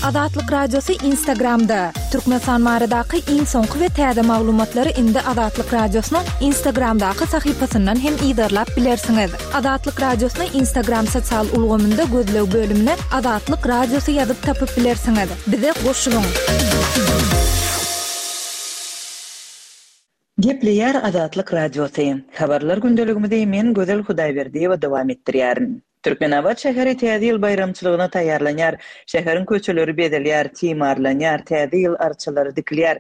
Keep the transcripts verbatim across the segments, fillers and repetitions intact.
Azatlyk Radiosy Instagramda. Türkmenistan baradaky iň soňky we täze maglumatlary indi Azatlyk Radiosynyň Instagramdaky sahypasyndan hem yzarlap bilersiňiz. Azatlyk Radiosyny Instagram sosial ulgamynda gözleg bölümine Azatlyk Radiosy ýazyp tapyp bilersiňiz. Bize goşulyň. Gepleýär Azatlyk Radiosy. Habarlar gündeligimizi men Gözel Hudaýberdiýewa dowam etdirýärin. Türkmenabat şäheri Täze ýyl baýramçylygyna taýýarlanýar. Şäheriň köçeleri bezelýär, timarlanýar, täze ýyl arçalary dikilýär.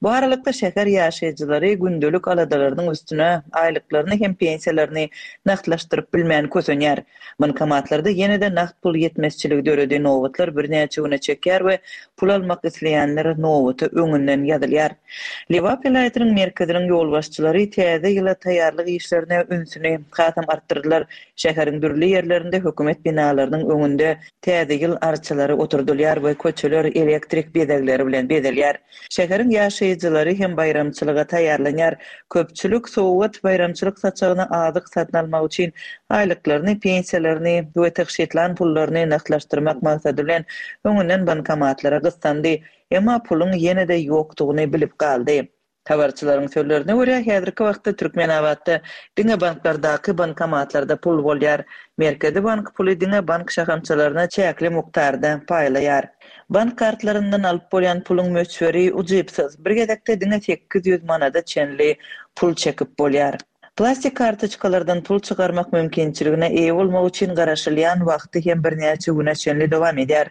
Bu aralykda şäher ýaşaýjylary gündelik aladalarynyň üstüne aýlyklaryny hem pensiýalaryny nagtlaşdyryp bilmän kösenýär. Bankomatlarda ýene-de nagt pul ýetmezçiligi döredi, nobatlar birnäçe güne çekýär we pul almak isleýänler nobata öňünden ýazylýar. Lebap welaýatynyň merkeziniň ýolbaşçylary täze ýyla taýýarlyk işlerine ünsüni hasam artdyrdylar. Şäheriň dürli ýerlerinde hökümet binalarynyň öňünde täze ýyl arçalary oturdylýar we köçeler elektrik bezegleri bilen bezelýär. Şäheriň ýaşaýjylary hem baýramçylyga taýýarlanýar. Köpçülik sowgat baýramçylyk saçagyna azyk satyn almak üçin aýlyklaryny, pensiýalaryny we tygşytlan pullaryny nagtlaşdyrmak maksady bilen öňünden bankomatlara gyssandy. Emma puluň ýene-de ýokdugyny bilip galdy. Habarçylaryň sözlerine görä, häzirki wagtda Türkmenabatda diňe banklardaky bankomatlarda pul bolýar. Merkezi bank puly diňe bank şahamçalaryna çäkli mukdarda paýlaýar. Bank kartlaryndan alyp bolýan puluň möçberi ujypsyz. Bir gezekde diňe sekiz ýüz manada çenli pul çekip bolýar. Plastik kartoçkalardan pul çykarmak mümkinçiligine eýe bolmak üçin garaşylýan wagty hem birnäçe güne çenli dowam edýär.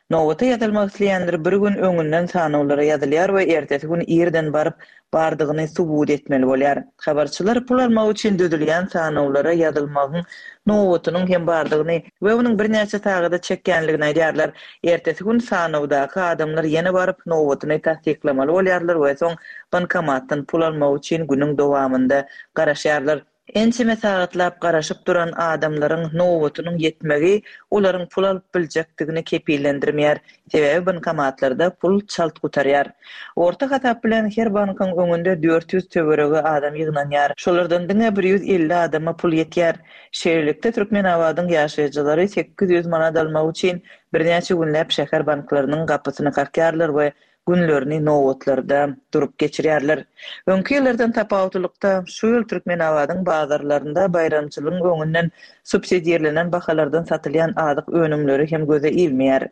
Nobata ýazylmak isleýänler bir gün öňünden sanawlara ýazylýar we ertesi gün irden baryp bardygyny subut etmeli bolýar. Habarçylar pul almak üçin düzülýän sanawlara ýazylmagyň nobatynyň hem bardygyny we onuň birnäçe sagada çekýänligini aýdýarlar. Ertesi gün sanawdaky adamlar ýene baryp nobatyny tassyklamaly bolýarlar we soň bankomatdan pul almak üçin günüň dowamynda garaşýarlar. Ençeme sagatlap garaşyp duran adamlaryň nobatynyň ýetmegi olaryň pul alyp biljekdigini kepillendirmeýär. Sebäbi bankomatlarda pul çalt gutarýar. Orta hasap bilen her bankyň öňünde dört ýüz töweregi adam ýygnanýar. Şolardan diňe bir ýüz elli adama pul ýetýär. Şeýlelikde Türkmenabadyň ýaşaýjylary sekiz ýüz manat almak üçin birnäçe günläp şäher banklarynyň gapysyny kakýarlar we günlerini nobatlarda durup geçirýärler. Öňki ýyllardan tapawutlylykda şu ýyl Türkmenabadyň bazarlarynda baýramçylygyň öňünden subsidirlenen bahalardan satylýan azyk önümleri hem göze ilmeýär.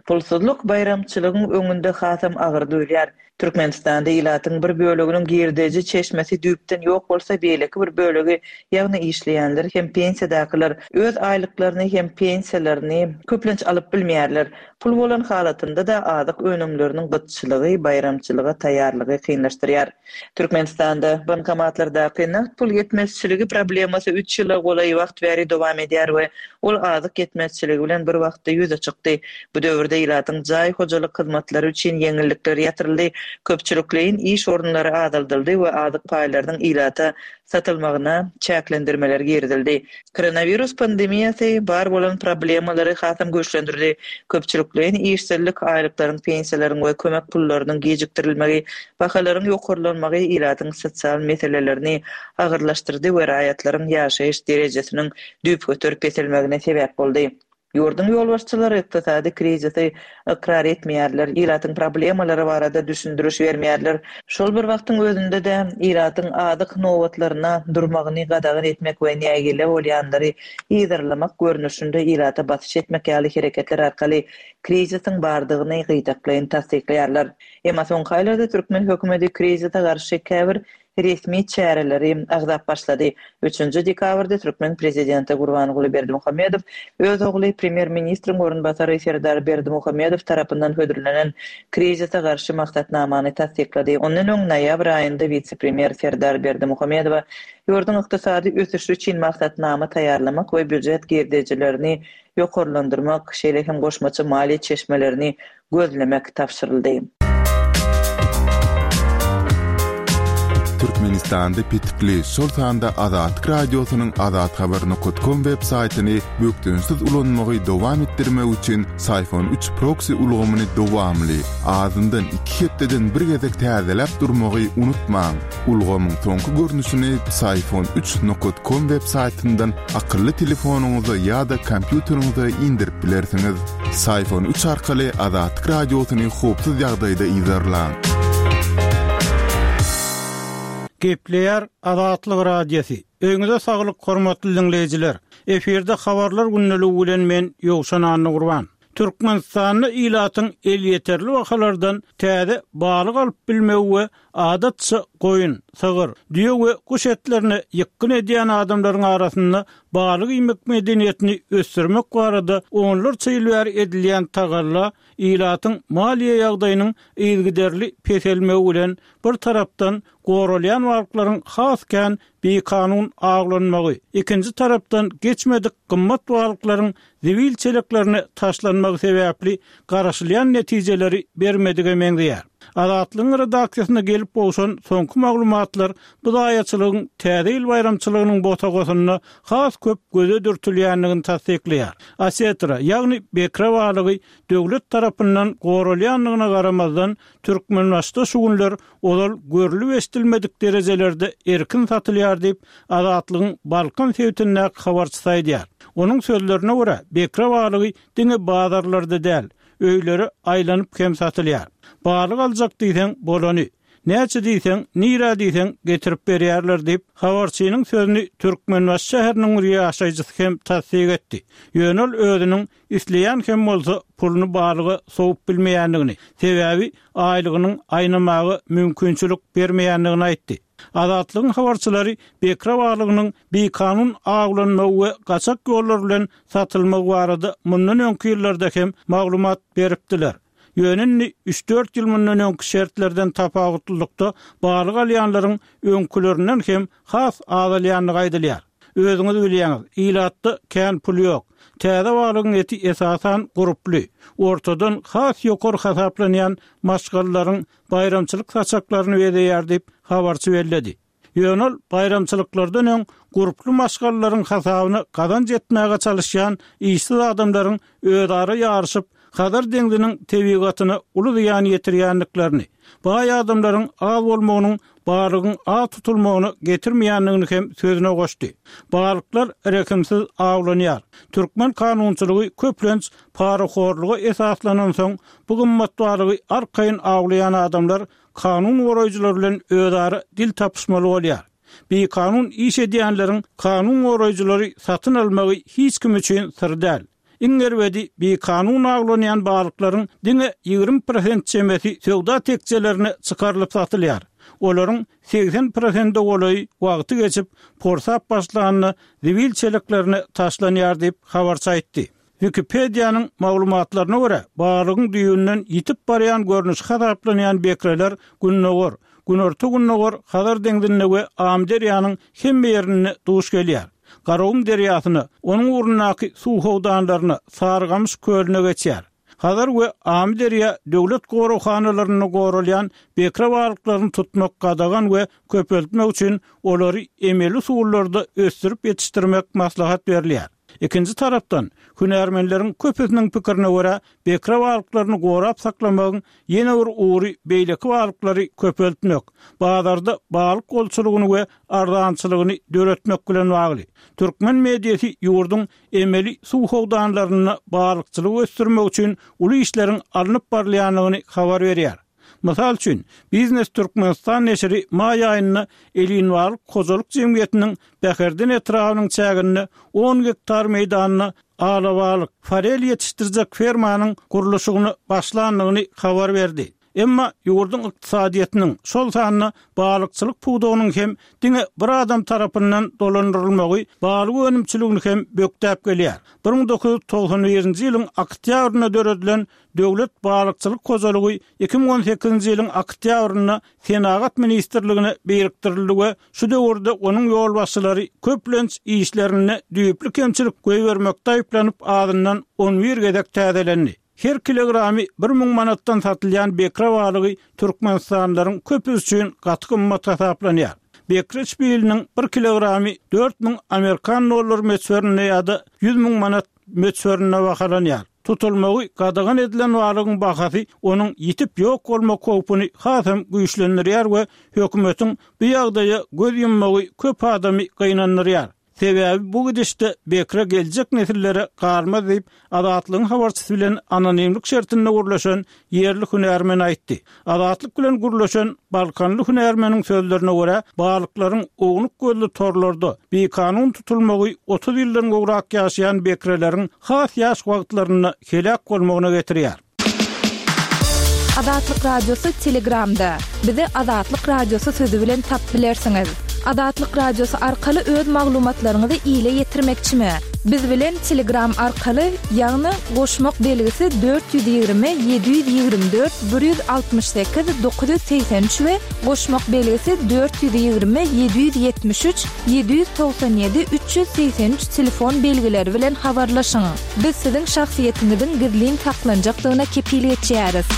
Pulsuzlyk baýramçylygyň öňünde hasam agyr duýulýar. Türkmenistanda ilatyň bir böleginiň girdeji çeşmesi düýpden ýok bolsa, beýleki bir bölegi, ýagny işleýänler hem pensiýadakylar öz aýlyklaryny hem pensiýalaryny köplenç alyp bilmeýärler. Pul bolan halatynda da azyk önümleriniň gytçylygy baýramçylyga taýýarlygy kynlaşdyrýar. Türkmenistanda bankomatlardaky nagt pul ýetmezçiligi problemasy üç ýyla golaý wagt bäri dowam edýär we ol azyk ýetmezçiligi bilen bir wagtda ýüze çykdy. Bu döwürde ilatyň jaý hojalyk hyzmatlary üçin ýeňillikler ýatyryldy, köpçülikleýin iş orunlary azaldyldy we azyk paýlarynyň ilata satylmagyna çäklendirmeler girizildi. Koronavirus pandemiýasy bar bolan problemalary hasam güýçlendirdi. Köpçülikleýin işsizlik, aýlyklaryň, pensiýalaryň we kömek pullarynyň gijikdirilmegi, bahalaryň ýokarlanmagy ilatyň sosial meselelerini agyrlaşdyrdy we raýatlaryň ýaşaýyş derejesiniň düýpgöter peselmegine sebäp boldy. Ýurduň ýolbaşçylary ykdysady krizisi ykrar etmeýärler, ilatyň problemalary barada düşündiriş bermeýärler. Şol bir wagtyň özünde-de ilatyň azyk nobatlaryna durmagyny gadagan etmek we nägile bolýanlary yzarlamak görnüşinde ilata basyş etmek ýaly hereketler arkaly krizisiň bardygyny gytaklaýyn tassyklaýarlar. Emma soňky aýlarda türkmen hökümeti krizise garşy käbir resmi çäreleri agzap başlady. Üçünji dekabrda türkmen prezidenti Gurbanguly Berdimuhamedow öz ogly premýer-ministriň orunbasary Serdar Berdimuhamedow tarapyndan hödürlenen krizise garşy maksatnamany tassyklady. Ondan öň noýabr aýynda wise-premýer Serdar Berdimuhamedowa ýurduň ykdysady ösüşi üçin maksatnama taýýarlamak we býujet girdejilerini ýokarlandyrmak, şeýle hem goşmaça maliýe çeşmelerini gözlemek tabşyryldy. Türkmenistanda petikli, şol sanda Azatlyk Radiosynyň azathabar nokta com web saýtyny bökdençsiz ulanmagy dowam etdirmek üçin Syfon üç proksi ulgamyny dowamly, azyndan iki hepdeden bir gezek täzeläp durmagy unutmaň. Ulgamyň soňky görnüşini Syfon üç nokta com web saýtyndan akylly telefonyňyza ýa-da kompýuteriňize indirip bilersiňiz. Syfon üç arkaly Azatlyk Radiosyny howpsuz ýagdaýda yzarlaň. Gepleýär Azatlyk Radiosy. Öýüňize saglyk hormatly dinleýjiler. Efirde habarlar gündeligi bilen men Ýowşan Annagurban. Türkmenistanda ilatyň elýeterli bahalardan täze balyk alyp bilmegi we adatça goýun, sygyr, düýe we guş etlerine ýykgyn edýän adamlaryň arasynda balyk iýmek medeniýetini ösdürmek barada onlarça ýyl bäri edilýän tagalla ilatyň maliýe ýagdaýynyň yzygiderli peselmegi bilen bir tarapdan goralýan balyklaryň has kän bikanun awlanmagy, ikinji tarapdan geçmedik gymmat balyklaryň zibil çeleklerine taşlanmagy sebäpli garaşylýan netijeleri bermedige meňzeýär. Azatlygyň redaksiýasyna gelip gowşan soňky maglumatlar bu zaýaçylygyň täze ýyl baýramçylygynyň bosagasynda has köp göze dürtülýändigini tassyklaýar. Asetra, ýagny bekre balygy döwlet tarapyndan goralýandygyna garamazdan Türkmenbaşda şu günler ozal görlüp eşidilmedik derejelerde erkin satylýar diýip Azatlygyň Balkan sebitindäki habarçysy aýdýar. Onuň sözlerine görä, bekre balygy diňe bazarlarda däl, öýlere aýlanyp hem satylýar. Balyk aljak diýseň bolany, näçe diýseň, nirä diýseň getirip berýärler diýip, habarçynyň sözüni Türkmenbaşy şäheriniň bir ýaşaýjysy hem tassyk etdi. Ýöne ol özüniň isleýän hem bolsa puluny balyga sowup bilmeýändigini, sebäbi aýlygynyň aýnamaga mümkinçilik bermeýändigini aýtdy. Azatlygyň habarçylary bekre balygynyň bikanun awlanmagy we gaçak ýollar bilen satylmagy barada mundan öňki ýyllarda hem maglumat beripdiler. Ýöne indi üç-dört ýyl mundan öňki şertlerden tapawutlylykda balyk alýanlaryň öňkülerinden hem has azalýandygy aýdylýar. Özüňiz bilýäňiz, ilatda kän pul ýok. Täze balygyň eti esasan gurply, ortadan has ýokary hasaplanýan maşgalalaryň baýramçylyk saçaklaryny bezeýär diýip habarçy belledi. Ýöne ol baýramçylyklardan öň gurply maşgalalaryň hasabyna gazanç etmäge çalışýan işsiz adamlaryň özara ýaryşyp Hazar deňziniň tebigatyna uly zyýan ýetirýändiklerini, baý adamlaryň az bolmagynyň balygyň az tutulmagyna getirmeýändigini hem sözüne goşdy. Balyklar rehimsiz awlanýar. Türkmen kanunçylygy köplenç parahorluga esaslanansoň, bu gymmat balygy arkaýyn awlaýan adamlar kanun goraýjylar bilen özara dil tapyşmaly bolýar. Bikanun iş edýänleriň kanun goraýjylary satyn almagy hiç kim üçin syr däl. Iň erbedi bikanun awlanýan balyklaryň diňe ýigrimi prosent çemesi söwda tekjelerine çykarylyp satylýar. Olaryň segsen prosenti golaýy wagty geçip, porsap başlanda zibil çeleklerine taşlanýar diýip habarçy aýtdy. Wikipediýanyň maglumatlaryna görä, balygyň düýbünden ýitip barýan görnüşi hasaplanýan bekreler gündogar, günorta-gündogar Hazar deňzinde we Amyderýanyň hemme ýerinde duş gelýär. Garagum derýasyna, onuň ugrundaky suw howdanlaryna, Sarygamyş kölüne geçýär. Hazar we Amyderýa döwlet goraghanalarynda goralýan bekre balyklaryny tutmak gadagan we köpeltmek üçin olary emeli usullarda ösdürip ýetişdirmek maslahat berilýär. Ikinji tarapdan, hünärmenleriň köpüsiniň pikirine görä, bekre balyklaryny gorap saklamagyň ýene bir ugry beýleki balyklary köpeltmek, bazarda balyk bolçulygyny we arzançylygyny döretmek bilen bagly. Türkmen mediasy ýurduň emeli suw howdanlarynda balykçylygy ösdürmek üçin uly işleriň alnyp barylýandygyny habar berýär. Mysal üçin, Biznes Türkmenistan neşiri maý aýynda Elinbalyk hojalyk jemgyýetiniň Bäherden etrabynyň çäginde on gektar meýdanda alabalyk, forel ýetişdirjek fermanyň gurluşygyna başlandygyny habar berdi. Emma ýurduň ykdysadyýetiniň, şol sanda balykçylyk pudagynyň hem diňe bir adam tarapyndan dolandyrylmagy balyk önümçiligini hem bökdäp gelýär. Bir müň dokuz ýüz togsan birinji ýylyň oktýabrynda döredilen Döwlet balykçylyk hojalygy iki müň on sekizinji ýylyň oktýabrynda Senagat ministrligine birikdirildi we şu döwürde onuň ýolbaşçylary köplenç işlerinde düýpli kemçilik goýbermekde aýyplanyp azyndan on bir gezek täzelendi. Her kilogramy bir müň manatdan satylýan bekre balygy türkmenistanlylaryň köpüsi üçin gaty gymmat hasaplanýar. Bekre şpiliniň bir kilogramy dört müň amerikan dollary möçberinde ýa-da ýüz müň manat möçberinde bahalanýar. Tutulmagy gadagan edilen balygyň bahasy onuň ýitip ýok bolmak howpuny hasam güýçlendirýär we hökümetiň bu ýagdaýa göz ýummagy köp adamy gynandyrýar. Sebäbi bu gidişde bekre geljek nesillere galmaz diýip, Azatlygyň habarçysy bilen anonimlik şertinde gürleşen ýerli hünärmen aýtdy. Azatlyk bilen gürleşen balkanly hünärmeniň sözlerine görä, balyklaryň ownuk gözli torlarda bikanun tutulmagy otuz ýyldan gowrak ýaşaýan bekreleriň has ýaş wagtlarynda heläk bolmagyna getirýär. Azatlyk Radiosy Telegramda. Bizi Azatlyk Radiosy sözi bilen tap bilersiňiz. Azatlyk Radiosy arkaly öz maglumatlaryňyzy ile ýetirmekçimi? Biz bilen Telegram arkaly, ýagny goşmak belgisi dört ýüz ýigrimi ýedi ýüz ýigrimi dört bir ýüz altmyş sekiz dokuz ýüz segsen üç we goşmak belgisi dört ýüz ýigrimi ýedi ýüz ýetmiş üç ýedi ýüz togsan ýedi üç ýüz segsen üç telefon belgileri bilen habarlaşyň. Biz siziň şahsyýetiňiziň gizlin saklanjakdygyna kepil geçýäris.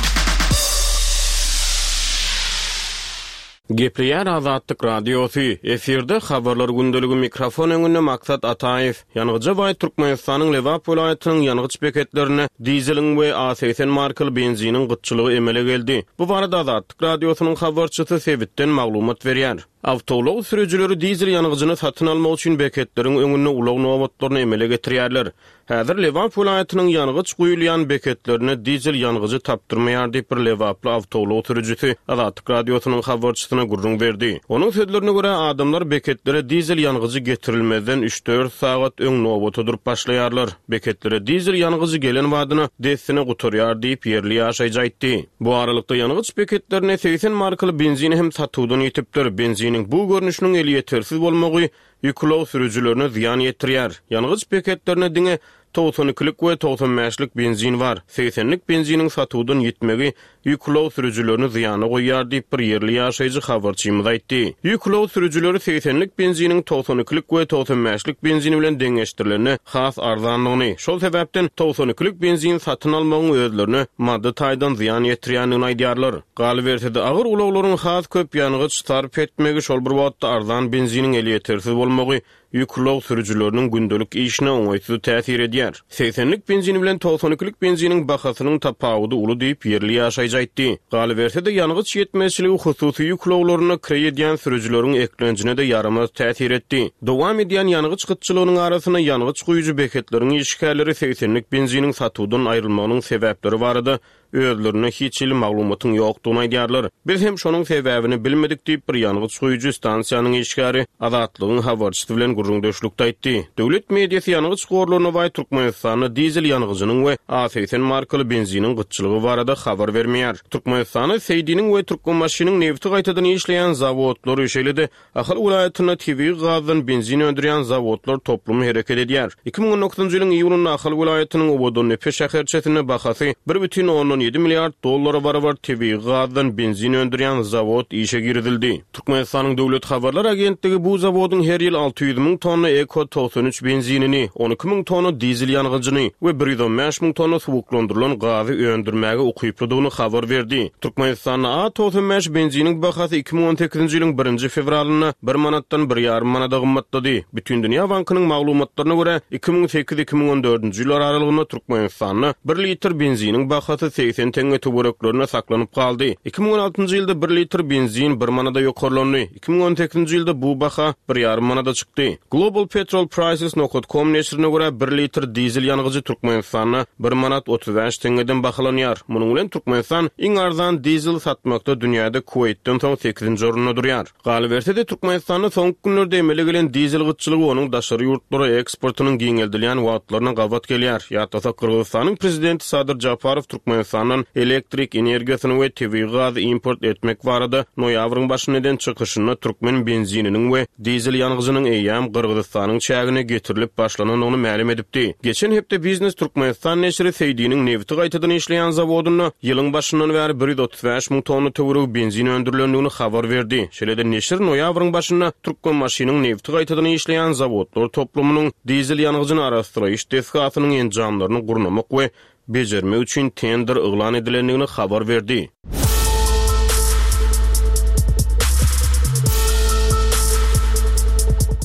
Gepleýär Azatlyk Radiosy, efirde habarlar gündeligi, mikrofon öňünde Maksat Ataýew. Ýangyja baý Türkmenistanyň Lebap welaýatynyň ýangyç beketlerinde dizeliň we A segsen markaly benziniň gytçylygy emele geldi. Bu barada Azatlyk Radiosynyň habarçysy sebitden maglumat berýär. Awtoulag sürüjileri dizel ýangyjyny satyn almak üçin beketleriň öňünde ulag nobatlaryny emele getirýärler. Häzir Lebap welaýatynyň ýangyç guýulýan beketlerine dizel ýangyjy tapdyrmaýar diýip bir lebaply awtoulag sürüjisi Azatlyk Radiosynyň habarçysyna gürrüň berdi. Onuň sözlerine görä, adamlar beketlere dizel ýangyjy getirilmezden üç-dört sagat öň nobata durup başlaýarlar. Beketlere dizel ýangyjy gelen badyna dessine gutarýar diýip ýerli ýaşaýjy aýtdy. Bu aralykda ýangyç beketlerine segsen markaly benzin hem satuwdan ýetipdir. Benziniň bu görnüşiniň elýetersiz bolmagy ýük ulag sürüjilerine zyýan ýetirýär. Ýangyç beketlerine diňe togsan ikilik we togsan bäşlik benzin bar. Segsenlik benziniň satuwdan ýetmegi ýük ulag sürüjilerini zyýana goýýar diýip bir ýerli ýaşaýjy habarçymyz aýtdy. Ýük ulag sürüjileri segsenlik benziniň togsan ikilik we togsan bäşlik benzin bilen deňeşdirilende has arzanlygyny, şol sebäpden togsan ikilik benzin satyn almagyň özlerine maddy taýdan zyýan ýetirýändigini aýdýarlar. Galyberse-de agyr ulaglaryň has köp ýangyç sarp etmegi, şol bir wagtda arzan benziniň elýetersiz bolmagy ýük ulag sürüjileriniň gündelik işine oňaýsyz täsir edýär. Segsenlik benzin bilen togsan ikilik benziniň bahasynyň tapawudy uly diýip ýerli ýaşaýjy aýtdy. Galyberse-de ýangyç ýetmezçiligi hususy ýük ulaglaryna kireý edýän sürüjileriň eklenjine-de ýaramaz täsir etdi. Dowam edýän ýangyç gytçylygynyň arasynda ýangyç guýujy beketleriň işgärleri segsenlik benziniň satuwdan aýrylmagynyň sebäpleri barada özlerine hiç hili maglumatyň ýokdugyny aýdýarlar. Biz hem şonuň sebäbini bilmedik diýip bir ýangyç guýujy stansiýanyň işgäri Azatlygyň habarçysy bilen gürrüňdeşlikde aýtdy. Döwlet mediasy ýangyç gorlaryna baý Türkmenistanda dizel ýangyjynyň we A segsen markaly benziniň gytçylygy barada habar bermeýär. Türkmenistanda Seýdiniň we Türkmenbaşynyň nebti gaýtadan işleýän zawodlary, şeýle-de Ahal welaýatynda tebigy gazdan benzin öndürýän zawodlar toplumy hereket edýär. Iki müň on dokuzynjy ýylyň iýunynda Ahal welaýatynyň Owadandepe şäherçesinde bahasy bir bütin ondan ýedi milliard dollara barabar tebigy gazdan benzin öndürýän zawod işe girizildi. Türkmenistanyň Döwlet Habarlar Agentligi bu zawodyň her ýyl alty ýüz müň tonna Eko togsan üç benzinini, on iki müň tonna dizel ýangyjyny we bir ýüz on bäş müň tonna suwuklandyrylan gazy öndürmäge ukyplydygyny habar berdi. Türkmenistanda A togsan bäş benziniň bahasy iki müň on sekizinji ýylyň birinji fewralynda bir manatdan bir ýarym manada gymmatlady. Bütindünýä Bankynyň maglumatlaryna görä, iki müň sekiz iki müň on dördünji ýyllar aralygynda Türkmenistanda bir litr benziniň bahasy segsen teňňe töwereklerinde saklanyp galdy. Iki müň on altynjy ýylda bir litr benzin bir manada ýokarlandy. Iki müň on sekizinji ýylda bu baha bir ýarym manada çykdy. Global Petrol Prices nokta com neşirine görä bir litr dizel ýangyjy Türkmenistanda bir manat otuz bäş teňňeden bahalanýar. Munuň bilen Türkmenistan iň arzan dizel satmakda dünýäde Kuweýtden soň sekizinji orunda durýar. Galyberse-de Türkmenistanda soňky günlerde emele gelen dizel gytçylygy onuň daşary ýurtlara eksportynyň giňeldilýän wagtlaryna gabat gelýär. Ýatlasak, Gyrgyzystanyň prezidenti Sadyr Japarow Türkmenistandan elektrik energiýasyny we tebigy gazy import etmek barada noýabryň başynda eden çykyşynda türkmen benzininiň we dizel ýangyjynyň eýýäm Gyrgyzystanyň çägine getirilip başlanandygyny mälim edipdi. Geçen hepde Biznes Türkmenistan neşiri Seýdiniň nebti gaýtadan işleýän zawodynda ýylyň başyndan bäri bir ýüz otuz bäş müň tonna töweregi benzin öndürilendigini habar berdi. Şeýle-de neşir noýabryň başynda Türkmenbaşynyň nebti gaýtadan işleýän zawodlar toplumynyň dizel ýangyjyny araşdyryş desgasynyň enjamlaryny gurnamak we bejermek üçin tender yglan edilendigini habar berdi.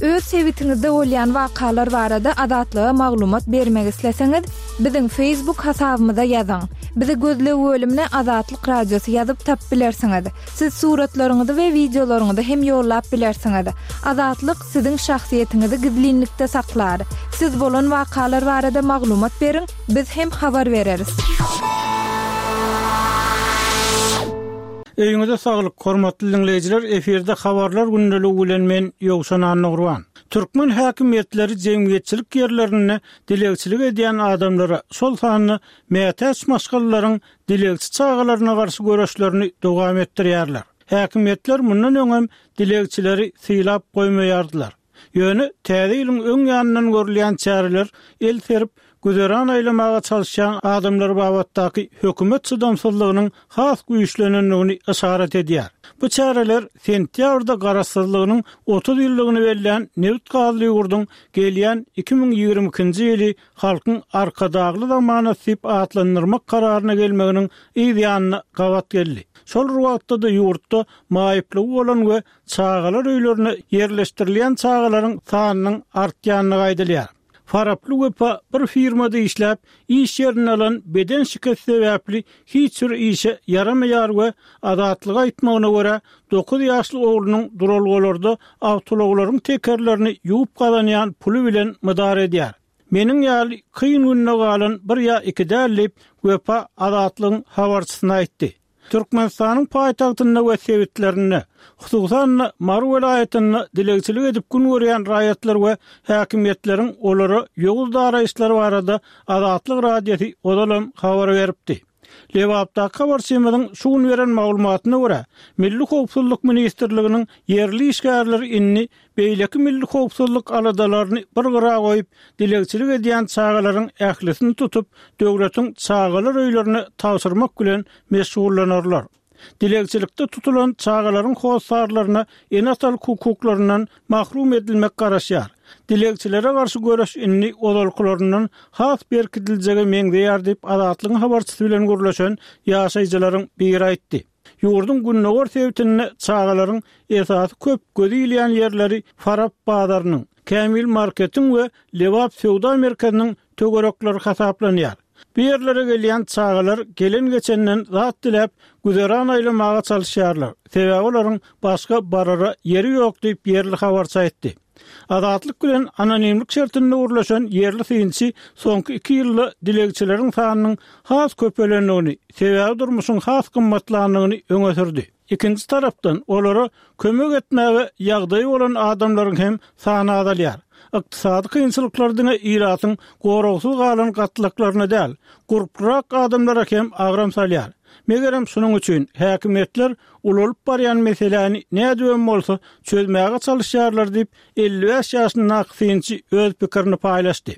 Öz sebitiňizde bolýan wakalar barada Azatlyga maglumat bermek isleseňiz, biziň Facebook hasabymyza ýazyň. Bizi gözleg bölümine Azatlyk Radiosy ýazyp tapyp bilersiňiz. Siz suratlaryňyzy we wideolaryňyzy hem ýollap bilersiňiz. Azatlyk siziň şahsyýetiňizi gizlinlikde saklar. Siz bolan wakalar barada maglumat beriň, biz hem habar bereris. Öýüňize saglyk, hormatly diňleýjiler, efirde habarlar gündeligi bilen men Ýowşan Annagurban. Türkmen häkimiýetleri jemgyýetçilik ýerlerinde dilegçilik edýän adamlara, şol sanda mätäç maşgalalaryň dilegçi çagalaryna garşy göreşlerini dowam etdirýärler. Häkimiýetler mundan öňem dilegçileri sylap goýmaýardylar. Ýöne täze ýylyň öň ýanyndan görülýän çäreler el serip, güzeran aýlamaga çalyşýan adamlar babatdaky hökümet çydamsyzlygynyň has güýçlenendigini yşarat edýär. Bu çäreler sentýabrda garaşsyzlygynyň otuz ýyllygyny bellän nebit gazly ýurduň gelýän iki müň ýigrimi ikinji ýyly halkyň arkadagly zamanasy diýip atlandyrmak kararyna gelmeginiň yz ýanyna gabat geldi. Şol bir wagtda-da ýurtda maýyplygy bolan we çagalar öýlerine ýerleşdirilýän çagalaryň sanynyň artýandygy aýdylýar. Faraply Wepa bir firmada işläp, iş ýerinde alan beden şikesi sebäpli hiç bir işe ýaramaýar we Azatlyga aýtmagyna görä, dokuz ýaşly oglunyň duralgalarda awtoulaglaryň tekerlerini ýuwup gazanýan puly bilen mydar edýär. Meniň ýaly kyn günde galan bir ýa iki däl diýip, Wepa Azatlygyň habarçysyna aýtdy. Türkmenistanyň paýtagtynda we sebitlerinde, hususan-da Mary welaýatynda dilegçilik edip gün görýän raýatlar we häkimiýetleriň olara ýowuz daraýyşlary barada Azatlyk Radiosy ozalam habar beripdi. Lebapdaky habarçymyzyň şu gün beren maglumatyna görä, Milli howpsuzlyk ministrliginiň ýerli işgärleri indi beýleki milli howpsuzlyk aladalaryny bir gyra goýup, dilegçilik edýän çagalaryň ählisini tutup, döwletiň çagalar öýlerine tabşyrmak bilen meşgullanarlar. Dilegçilikde tutulan çagalaryň hossarlaryna ene-atalyk hukuklaryndan mahrum edilmek garaşýar. Dilegçilere garşy göreş indi ozalkylaryndan has berkidiljege meňzeýär diýip, Azatlygyň habarçysy bilen gürleşen ýaşaýjylaryň biri aýtdy. Ýurduň gündogar sebitinde çagalaryň esasy köp gözi ilýän ýerleri Farap bazarynyň, Kämil marketiň we Lebap söwda merkeziniň töwerekleri hasaplanýar. Bu ýerlere gelýän çagalar gelen-geçenden zat diläp, güzeran aýlamaga çalyşýarlar. Sebäbi olaryň başga barara ýeri ýok diýip, ýerli habarçy aýtdy. Azatlyk bilen anonimlik şertinde gürleşen ýerli synçy soňky iki ýylda dilegçileriň sanynyň has köpelendigini, sebäbi durmuşyň has gymmatlandygyny öňe sürdi. Ikinji tarapdan, olara kömek etmäge ýagdaýy bolan adamlaryň hem sany azalýar. Ykdysady kynçylyklar diňe ilatyň goragsyz galan gatlaklaryna däl, gurplurak adamlara hem agram salýar. Megerem şunuň üçin häkimiýetler ulalyp barýan meseläni nädibem bolsa çözmäge çalyşýarlar diýip, elli bäş ýaşyndaky synçy öz pikirini paýlaşdy.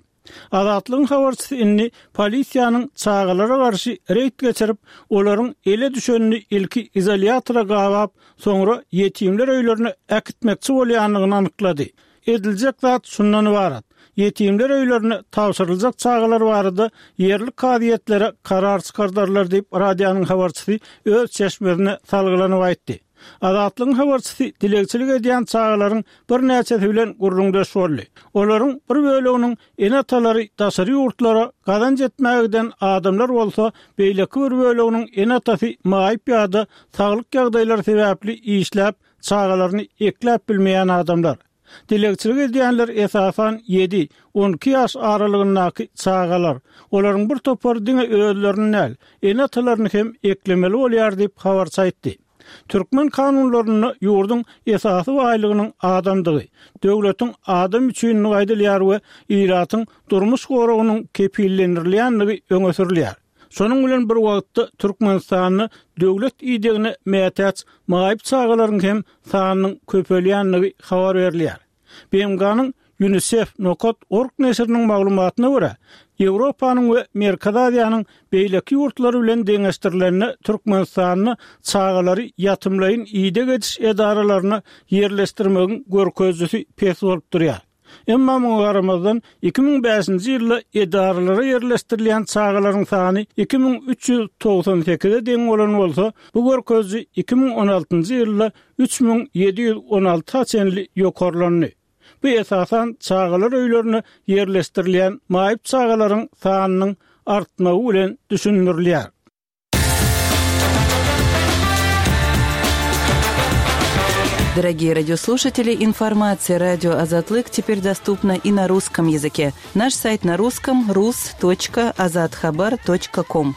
Azatlygyň habarçysy indi polisiýanyň çagalara garşy reýd geçirip, olaryň ele düşenini ilki izolýatora gabap, soňra ýetimler öýlerine äkitmekçi bolýandygyny anyklady. Ediljek zat şundan ybarat, ýetimler öýlerine tabşyryljak çagalar barada ýerli kazyýetlere karar çykardarlar diýip, radionyň habarçysy öz çeşmesine salgylanyp aýtdy. Azatlygyň habarçysy dilegçilik edýän çagalaryň birnäçesi bilen gürrüňdeş boldy. Olaryň bir böleginiň ene-atalary daşary ýurtlara gazanç etmäge giden adamlar bolsa, beýleki bir böleginiň ene-atasy maýyp ýa-da saglyk ýagdaýlary sebäpli işläp, çagalaryny ekläp bilmeýän adamlar. Dilegçilik edýänler esasan ýedi, on iki ýaş aralygyndaky çagalar. Olaryň bir topary diňe özlerini däl, ene-atalaryny hem eklemeli bolýar diýip, habarçy aýtdy. Türkmen kanunlarynda ýurduň esasy baýlygynyň adamdygy, döwletiň adam üçinligi aýdylýar we ilatyň durmuş goragynyň kepillendirilýändigi öňe sürülýär. Şonuň bilen bir wagtda Türkmenistanda döwlet idegine mätäç maýyp çagalaryň hem sanynyň köpelýändigi habar berilýär. B M G-nyň UNICEF nokat org neşiriniň maglumatyna görä, Ýewropanyň we Merkezi Aziýanyň beýleki ýurtlary bilen deňeşdirilende Türkmenistanda çagalary ýatymlaýyn ideg ediş edaralaryna ýerleşdirmegiň görkezijisi pes bolup durýar. Emma muňa garamazdan iki müň bäşinji ýylda edaralara ýerleşdirilýän çagalaryň sany iki müň üç ýüz togsan sekize deň bolan bolsa, bu görkeziji iki müň on altynjy ýylda üç müň ýedi ýüz on alta çenli ýokarlandy. Bu esasan çagalar öýlerine ýerleşdirilýän maýyp çagalaryň sanynyň artmagy bilen düşündirilýär. Дорогие радиослушатели, информация радио Азатлык теперь доступна и на русском языке. Наш сайт на русском rus.azathabar.com.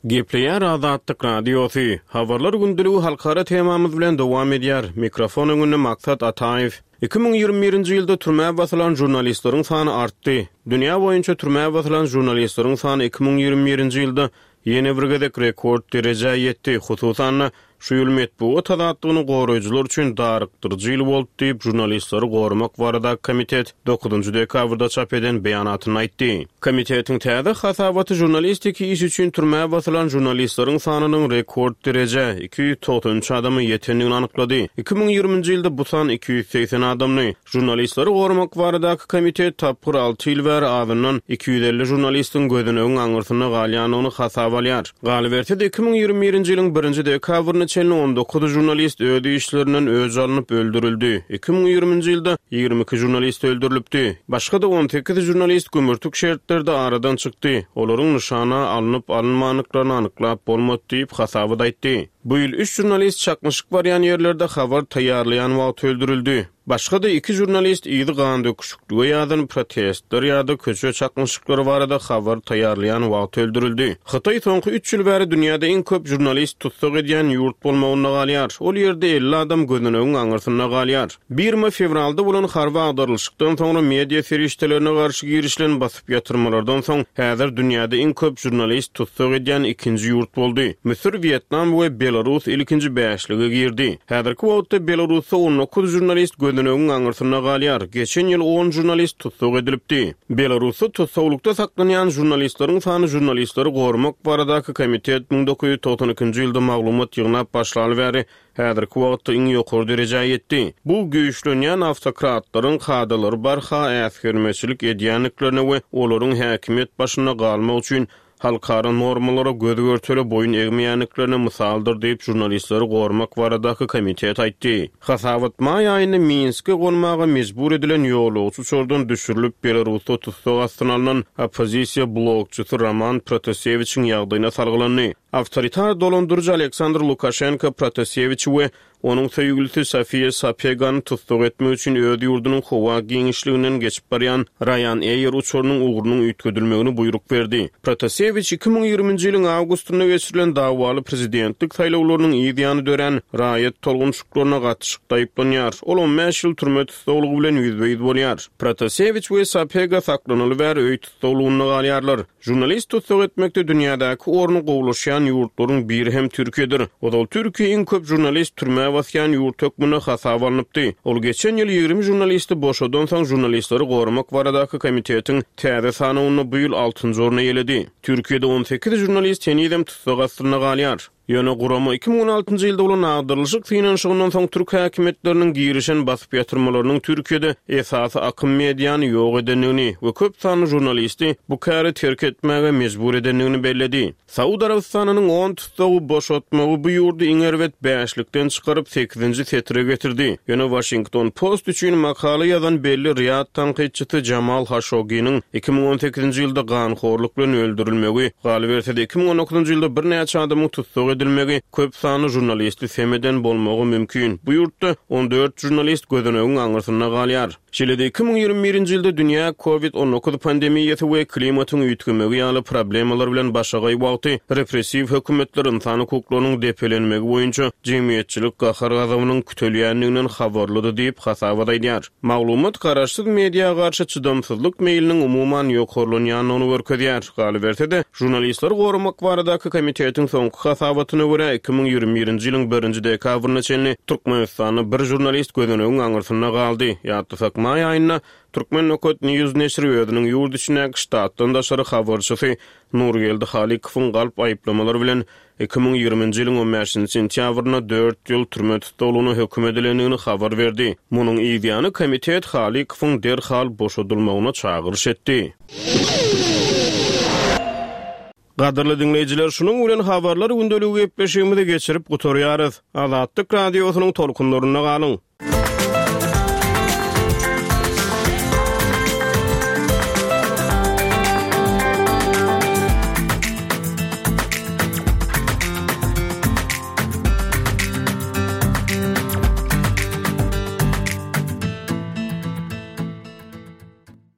Gepleýär Azatlyk Radiosy. Habarlar gündeligi halkara temamyz bilen dowam edýär. Mikrofon öňünde Maksat Ataýew. Iki müň ýigrimi birinji ýylda türmä basylan žurnalistleriň sany artdy. Dünýä boýunça türmä basylan žurnalistleriň sany iki müň ýigrimi birinji ýylda ýene bir gezek rekord derejä ýetdi. Hususan-da şu ýyl metbugat azatlygyny goraýjylar üçin darykdyryjy ýyl boldy diýip žurnalistleri goramak barada komitet dokuzynjy dekabrda çap eden beýanatyny aýtdy. Komitetiň täze hasabaty žurnalistiki iş üçin türmä basylan žurnalistleriň sanynyň rekord derejä iki ýüz togsan üç adama ýetendigini anyklady. Iki müň ýigriminji ýylda bu san iki ýüz segsen adamny. Žurnalistleri goramak baradaky komitet tapgyr alty ýyl bäri azyndan iki ýüz elli žurnalistiň gözüniň aňyrsynda galýandygyny hasap alýar. Galyberse-de iki müň ýigrimi birinji ýylyň birinji dekabryna çenli on dokuz žurnalist öz işlerinden öç alnyp öldürildi. Iki müň ýigriminji ýylda ýigrimi iki žurnalist öldürilipdi. Başga-da on sekiz žurnalist gümürtik şertlerde aradan çykdy. Olaryň nyşana alnyp alynmandyklaryny anyklap bolmady diýip hasabat aýtdy. Bu ýyl üç žurnalist çaknyşyk barýan ýerlerde habar taýýarlaýan wagt öldürildi. Başga-da iki žurnalist ýygy gan döküşiklige ýadan protestler ýa-da köçe çaknyşyklary barada habar taýýarlaýan wagt öldürildi. Hytaý soňky üç ýyl bäri dünýäde iň köp žurnalist tussag edýän ýurt bolmagynda galýar. Ol ýerde elli adam gözüniň aňyrsynda galýar. Birma fewralda bolan harby agdarylyşykdan soňra media serişdelerine garşy girişilen basyp ýatyrmalardan soň häzir dünýäde iň köp žurnalist tussag edýän ikinji ýurt boldy. Müsür, Wýetnam we Belarus ilkinji bäşlige girdi. Häzirki wagtda Belarusda on dokuz žurnalist gözüniň aňyrsynda galýar. Geçen ýyl on žurnalist tussag edilipdi. Belarusda tussaglykda saklanýan žurnalistleriň sany žurnalistleri goramak baradaky komitet müň dokuz ýüz togsan ikinji ýylda maglumat ýygnap başlaly bäri häzirki wagtda iň ýokary derejä ýetdi. Bu güýçlenýän awtokratlaryň kadalary barha äsgermeçilik edýänliklerine we olaryň häkimiýet başynda galmak üçin halkara normalara göz görtele boýun egmeýänliklerine mysaldyr diýip žurnalistleri goramak baradaky komitet aýtdy. Hasabat maý aýynda Minske gonmaga mejbur edilen ýolagçy uçardan düşürilip Belarusda tussag astyna alnan oppozisiýa blokçysy Roman Protasewiçiň ýagdaýyna salgylandy. Awtoritar dolandyryjy Aleksandr Lukaşenko Protasewiçi we onuň söýgülisi Sofiýa Sapegany tussag etmek üçin öz ýurdunyň howa giňişliginden geçip barýan Ryanair uçarynyň ugrunyň üýtgedilmegini buýruk berdi. Protasewiç iki müň ýigriminji ýylyň awgustynda geçirilen dawaly prezidentlik saýlawlarynyň yz ýany dörän raýat tolgunçyklaryna gatyşykda aýyplanýar. Ol on bäş ýyl türme tussaglygy bilen ýüzbe-ýüz bolýar. Protasewiç we Sapega saklanyly bäri öý tussaglygynda galýarlar. Žurnalist tussag etmekde dünýädäki orny gowlaşýan ýurtlaryň biri hem Türkiýedir. Ozal Türkiýe iň köp žurnalist türmä basýan ýurt hökmünde hasap alnypdy. Ol geçen ýyl ýigrimi žurnalisti boşadan soň žurnalistleri goramak baradaky komitetiň täze sanawynda bu ýyl altynjy orny eýeledi. Türkiýede on sekiz žurnalist henizem tussag astynda galýar. Ýöne gurama iki müň on altynjy ýylda bolan agdarylyşyk synanyşygyndan soň türk häkimiýetleriniň girişen basyp ýatyrmalarynyň Türkiýede esasy akym mediany ýok edendigini we köp sanly žurnalisti bu käri terk etmäge mejbur edendigini belledi. Saud Arabystanynyň on tussagy boşatmagy bu ýurdy iň erbet bäşlikden çykaryp sekizinji setire getirdi. Ýöne Washington Post üçin makala ýazan belli Riyad tankytçysy Jamal Khashoggi'niň iki müň on sekizinji ýylda ganhorluk bilen öldürilmegi, galyberse-de iki müň on dokuzynjy ýylda birnäçe adamyň tussag edilmegi köp sanly žurnalisti semeden bolmagy mümkin. Bu ýurtda on dört žurnalist gözüniň aňyrsynda galýar. Şeýle-de iki müň ýigrimi birinji ýylda dünýä COVID on dokuz pandemiýasy we klimatyň üýtgemegi ýaly problemalar bilen başagaý wagty repressiw hökümetler insan hukuklarynyň depelenmegi boýunça jemgyýetçilik gahar-gazabynyň kütelýändiginden habarlydy diýip hasabat aýdýar. Maglumat garaşsyz media garşy çydamsyzlyk meýliniň umuman ýokarlanýandygyny görkezýär. Galyberse-de, žurnalistleri goramak baradaky komitetiň soňky hasabatyna görä iki müň ýigrimi birinji ýylyň birinji dekabryna çenli Türkmenistanda bir žurnalist gözüniň aňyrsynda galdy. Ýatlasak maý aýynda Türkmen Nokat News neşiri özüniň ýurt içindäki ştatdan daşary habarçysy Nurgeldi Halikowyň galp aýyplamalary bilen iki müň ýigriminji ýylyň on bäşinji sentýabrynda dört ýyl türme tussaglygyna höküm edilendigini habar berdi. Munuň yz ýany komitet Halikowyň derhal boşadylmagyna çagyryş etdi. Gadyrly dinleýjiler, şunuň bilen habarlar gündeligi gepleşigimizi geçirip gutarýarys. Azatlyk radiosynyň tolkunlarynda galyň.